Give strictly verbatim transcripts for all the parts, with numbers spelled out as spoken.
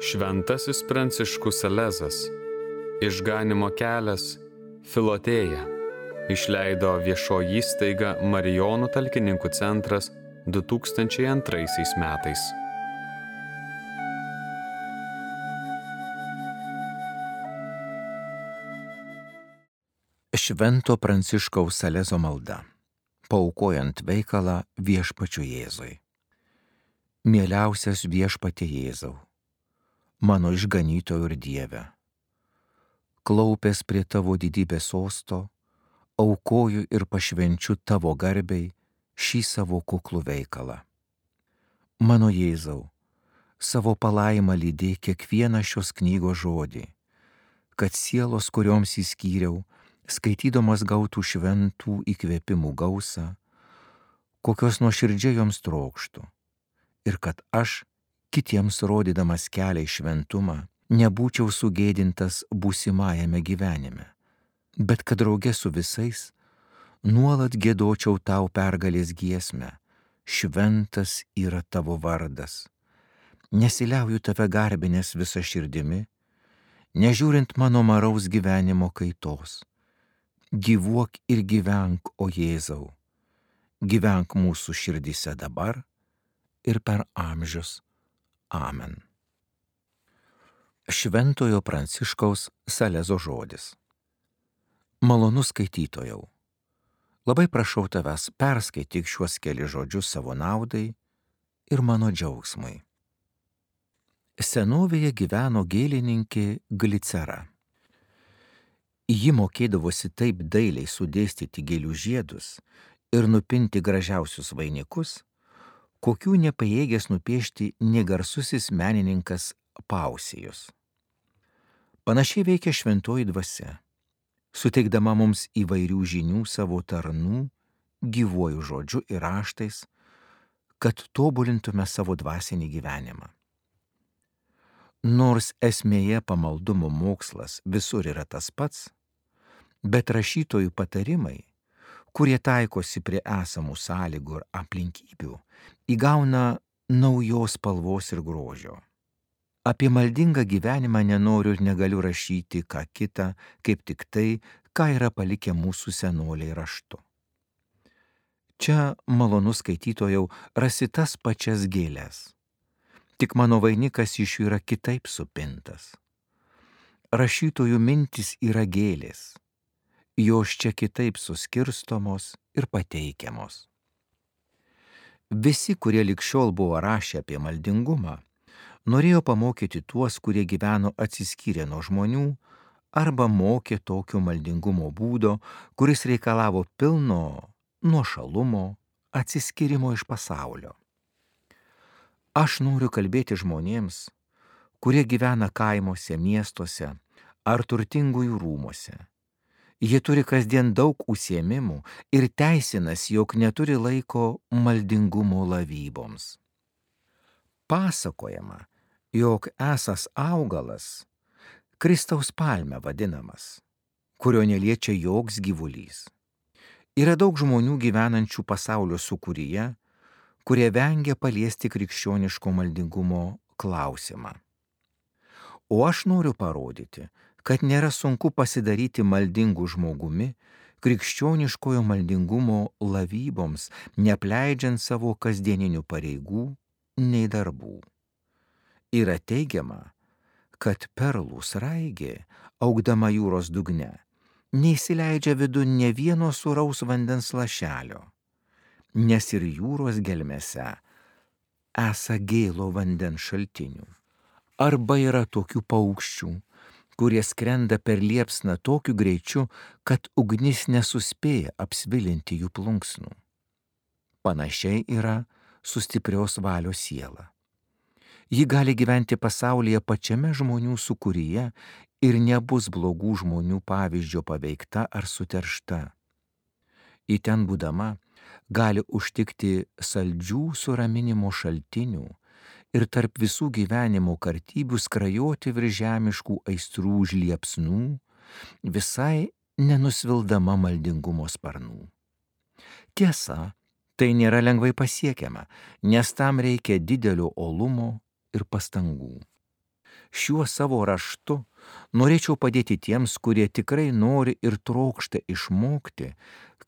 Šventasis Pranciškus Salezas, Išganymo kelias, Filotėja, išleido viešoji įstaiga Marijonų talkininkų centras du tūkstančiai antraisiais metais. Švento Pranciškaus Salezo malda, paaukojant veikalą Viešpačiui Jėzui. Mieliausias Viešpatie Jėzau, mano išganytojo ir Dieve, klaupęs prie tavo didybės sosto, aukoju ir pašvenčiu tavo garbei šį savo kuklų veikalą. Mano Jėzau, savo palaimą lydėk kiekvieną šios knygos žodį, kad sielos, kurioms įskyriau, skaitydamas gautų šventų įkvėpimų gausą, kokios nuoširdžiai joms trokštų, ir kad aš, kitiems rodydamas kelią į šventumą, nebūčiau sugėdintas būsimajame gyvenime, bet kad drauge su visais nuolat giedočiau tau pergalės giesmę, šventas yra tavo vardas. Nesiliauju tave garbinęs visa širdimi, nežiūrint mano maraus gyvenimo kaitos. Gyvuok ir gyvenk, o Jėzau, gyvenk mūsų širdyse dabar ir per amžius. Amen. Šventojo Pranciškaus Salezo žodis. Malonus skaitytojau, labai prašau tavęs perskaityk šiuos keli žodžius savo naudai ir mano džiaugsmui. Senovėje gyveno gėlininkė Glicera. Ji mokėdavosi taip dailiai sudėstyti gėlių žiedus ir nupinti gražiausius vainikus, kokių nepajėgęs nupiešti negarsusis menininkas Pausijus. Panašiai veikia šventoji dvasia, suteikdama mums įvairių žinių savo tarnų, gyvuoju žodžiu ir raštais, kad tobulintume savo dvasinį gyvenimą. Nors esmėje pamaldumo mokslas visur yra tas pats, bet rašytojų patarimai, kurie taikosi prie esamų sąlygų ir aplinkybių, įgauna naujos spalvos ir grožio. Apie maldingą gyvenimą nenoriu ir negaliu rašyti ką kita, kaip tik tai, ką yra palikę mūsų senoliai raštu. Čia, malonus skaitytojau, rasi tas pačias gėles. Tik mano vainikas iš jų yra kitaip supintas. Rašytojų mintis yra gėlės, jos čia kitaip suskirstomos ir pateikiamos. Visi, kurie ligšiol buvo rašę apie maldingumą, norėjo pamokyti tuos, kurie gyveno atsiskyrę nuo žmonių, arba mokė tokio maldingumo būdo, kuris reikalavo pilno nuošalumo, atsiskyrimo iš pasaulio. Aš noriu kalbėti žmonėms, kurie gyvena kaimuose, miestuose ar turtingųjų rūmuose. Jie turi kasdien daug užsiėmimų ir teisinas, jog neturi laiko maldingumo lavyboms. Pasakojama, jog esąs augalas, Kristaus palme vadinamas, kurio neliečia joks gyvulys. Yra daug žmonių gyvenančių pasaulio sūkuryje, kurie vengia paliesti krikščioniško maldingumo klausimą. O aš noriu parodyti, kad nėra sunku pasidaryti maldingų žmogumi, krikščioniškojo maldingumo lavyboms, neapleidžiant savo kasdieninių pareigų nei darbų. Yra teigiama, kad perlų sraigė, augdama jūros dugne, neįsileidžia vidun ne vieno sūraus vandens lašelio, nes ir jūros gelmėse esą gėlo vandens šaltinių. Arba yra tokių paukščių, kurie skrenda per liepsną tokiu greičiu, kad ugnis nesuspėja apsvilinti jų plunksnų. Panašiai yra su stiprios valios siela. Ji gali gyventi pasaulyje pačiame žmonių sūkuryje ir nebus blogų žmonių pavyzdžio paveikta ar suteršta. Į ten būdama gali užtikti saldžių suraminimo šaltinių ir tarp visų gyvenimo kartybių skrajoti virš žemiškų aistrų žliepsnų, visai nenusvildama maldingumo sparnų. Tiesa, tai nėra lengvai pasiekiama, nes tam reikia didelio uolumo ir pastangų. Šiuo savo raštu norėčiau padėti tiems, kurie tikrai nori ir trokšta išmokti,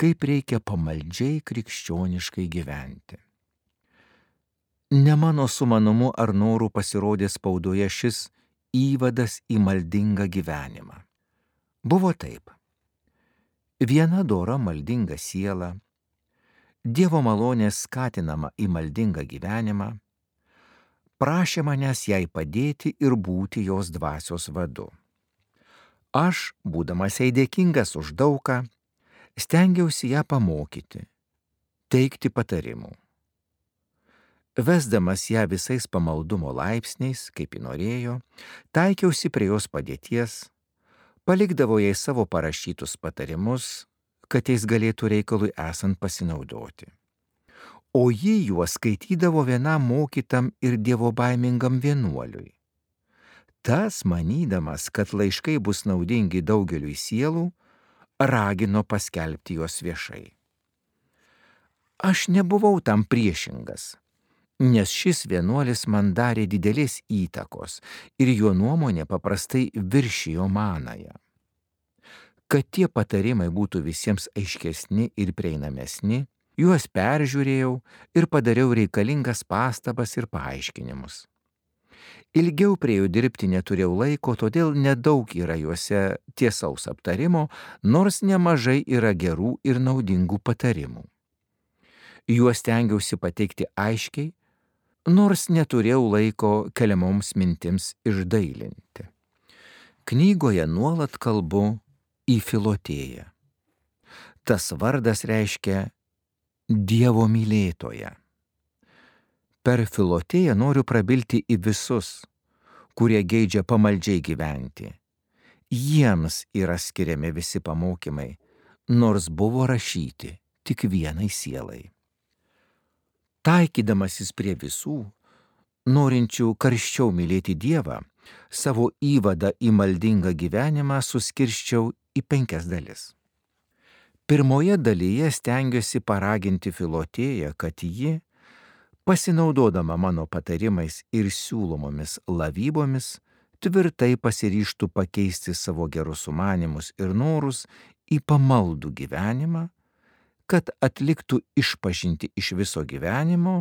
kaip reikia pamaldžiai krikščioniškai gyventi. Ne mano sumanumu ar noru pasirodė spaudoje šis įvadas į maldingą gyvenimą. Buvo taip. Viena dora maldinga siela, Dievo malonės skatinama į maldingą gyvenimą, prašė manęs jai padėti ir būti jos dvasios vadu. Aš, būdamas jai dėkingas už daugą, stengiausi ją pamokyti, teikti patarimų. Vesdamas ją visais pamaldumo laipsniais, kaip ji norėjo, taikiausi prie jos padėties, palikdavo jai savo parašytus patarimus, kad jais galėtų reikalui esant pasinaudoti. O ji juos skaitydavo vienam mokytam ir dievobaimingam vienuoliui. Tas, manydamas, kad laiškai bus naudingi daugeliui sielų, ragino paskelbti juos viešai. Aš nebuvau tam priešingas, nes šis vienuolis man darė didelės įtakos ir jo nuomonė paprastai viršijo manąją. Kad tie patarimai būtų visiems aiškesni ir prieinamesni, juos peržiūrėjau ir padariau reikalingas pastabas ir paaiškinimus. Ilgiau prie jų dirbti neturėjau laiko, todėl nedaug yra juose tiesaus aptarimo, nors nemažai yra gerų ir naudingų patarimų. Juos stengiausi pateikti aiškiai, nors neturėjau laiko keliamoms mintims išdailinti. Knygoje nuolat kalbu į Filotėją. Tas vardas reiškia Dievo mylėtoją. Per Filotėją noriu prabilti į visus, kurie geidžia pamaldžiai gyventi. Jiems yra skiriami visi pamokymai, nors buvo rašyti tik vienai sielai. Taikydamasis prie visų, norinčių karščiau mylėti Dievą, savo įvadą į maldingą gyvenimą suskirsčiau į penkias dalis. Pirmoje dalyje stengiuosi paraginti Filotėją, kad ji, pasinaudodama mano patarimais ir siūlomomis lavybomis, tvirtai pasiryžtų pakeisti savo gerus sumanymus ir norus į pamaldų gyvenimą, kad atliktų išpažintį iš viso gyvenimo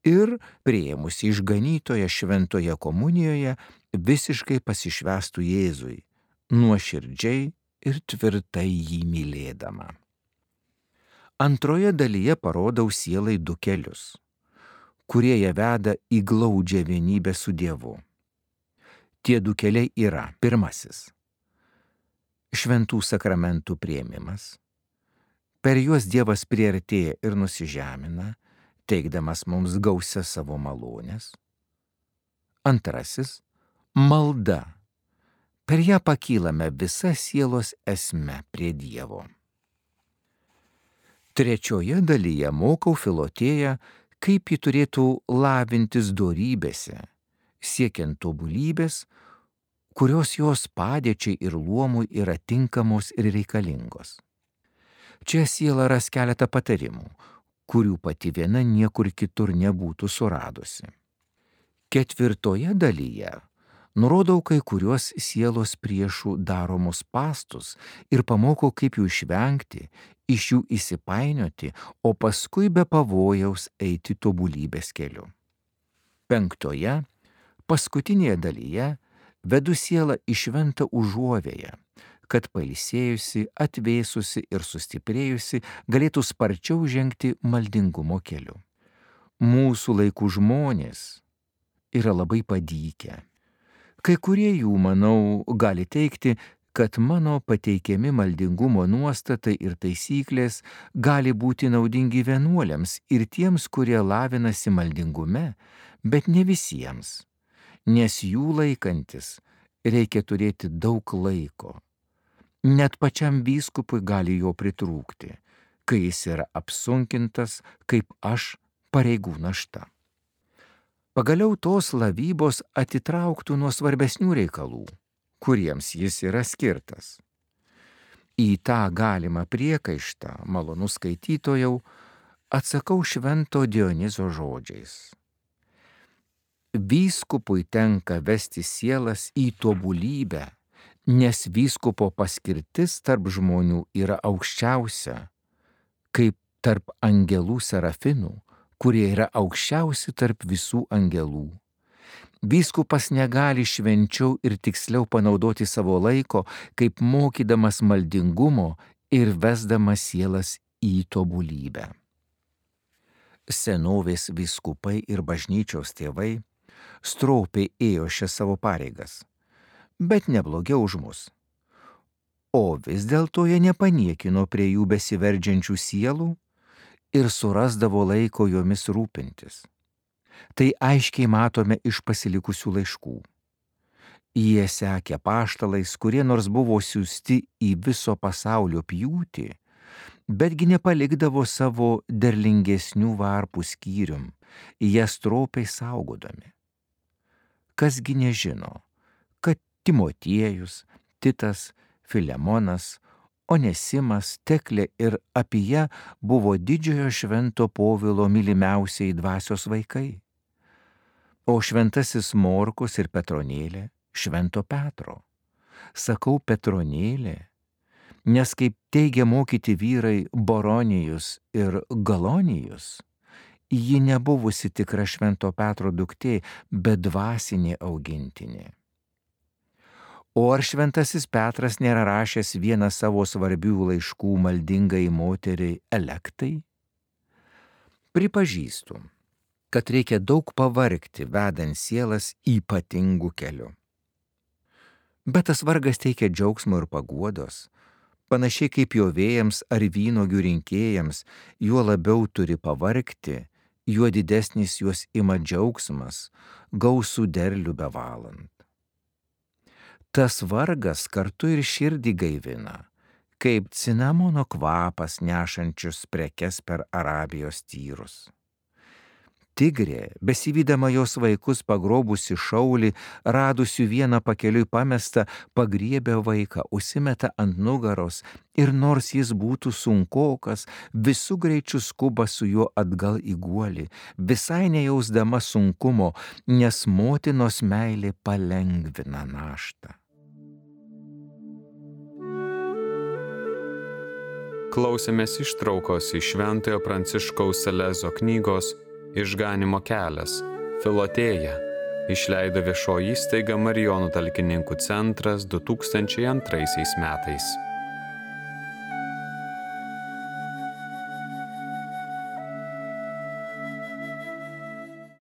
ir, priėmusi išganytoje šventoje komunijoje, visiškai pasišvęstų Jėzui, nuoširdžiai ir tvirtai jį mylėdama. Antroje dalyje parodau sielai du kelius, kurie ją veda į glaudžią vienybę su Dievu. Tie du keliai yra: pirmasis – šventų sakramentų priėmimas. Per juos Dievas priartėja ir nusižemina, teikdamas mums gausias savo malonės. Antrasis – malda. Per ją pakylame visą sielos esmę prie Dievo. Trečioje dalyje mokau Filotėją, kaip ji turėtų lavintis dorybėse, siekiant tobulybės, kurios jos padėčiai ir luomui yra tinkamos ir reikalingos. Čia siela ras keletą patarimų, kurių pati viena niekur kitur nebūtų suradusi. Ketvirtoje dalyje nurodau kai kuriuos sielos priešų daromus spąstus ir pamokau, kaip jų išvengti, iš jų įsipainioti, o paskui be pavojaus eiti tobulybės keliu. Penktoje, paskutinėje dalyje, vedu sielą į šventą užuovėją, kad pailsėjusi, atvėsusi ir sustiprėjusi galėtų sparčiau žengti maldingumo keliu. Mūsų laikų žmonės yra labai padykę. Kai kurie jų, manau, gali teigti, kad mano pateikiami maldingumo nuostatai ir taisyklės gali būti naudingi vienuoliams ir tiems, kurie lavinasi maldingume, bet ne visiems, nes jų laikantis reikia turėti daug laiko. Net pačiam vyskupui gali jo pritrūkti, kai jis yra apsunkintas, kaip aš, pareigų našta. Pagaliau tos lavybos atitrauktų nuo svarbesnių reikalų, kuriems jis yra skirtas. Į tą galimą priekaištą, malonus skaitytojau, atsakau švento Dionizo žodžiais. vyskupui tenka vesti sielas į tobulybę, nes vyskupo paskirtis tarp žmonių yra aukščiausia, kaip tarp angelų serafinų, kurie yra aukščiausi tarp visų angelų. Vyskupas negali švenčiau ir tiksliau panaudoti savo laiko, kaip mokydamas maldingumo ir vesdamas sielas į tobulybę. Senovės vyskupai ir bažnyčios tėvai stropiai ėjo šias savo pareigas, bet neblogiau už mus. O vis dėlto jie nepaniekino prie jų besiverdžiančių sielų ir surasdavo laiko jomis rūpintis. Tai aiškiai matome iš pasilikusių laiškų. Jie sekė apaštalais, kurie nors buvo siųsti į viso pasaulio pjūtį, betgi nepalikdavo savo derlingesnių varpų skyrium, jas stropiai saugodami. Kasgi nežino, kad Timotiejus, Titas, Filemonas, Onesimas, Teklė ir Apija buvo didžiojo švento Povilo mylimiausiai dvasios vaikai, o šventasis Morkus ir Petronėlė švento Petro. Sakau Petronėlė, nes kaip teigia mokyti vyrai Boronijus ir Galonijus, ji nebuvusi tikra švento Petro duktė, bet dvasinė augintinė. O ar šventasis Petras nėra rašęs vieną savo svarbių laiškų maldingai moteriai Elektai? Pripažįstu, kad reikia daug pavargti, vedant sielas ypatingų kelių. Bet tas vargas teikia džiaugsmo ir paguodos, panašiai kaip jo vėjams ar vynuogių rinkėjams, juo labiau turi pavargti, juo didesnis juos ima džiaugsmas, gausų derlių bevalant. Tas vargas kartu ir širdį gaivina, kaip cinamono kvapas nešančius prekes per Arabijos tyrus. Tigrė, besivydama jos vaikus pagrobusi šaulį, radusių vieną pakeliui pamestą, pagriebia vaiką, užsimeta ant nugaros ir nors jis būtų sunkokas, visų greičių skuba su juo atgal į guolį, visai nejausdama sunkumo, nes motinos meilė palengvina naštą. Klausėmės ištraukos iš Šventojo Pranciškaus Salezo knygos Išganymo kelias, Filotėja, išleido viešoji įstaiga Marijonų talkininkų centras du tūkstančiai antraisiais metais.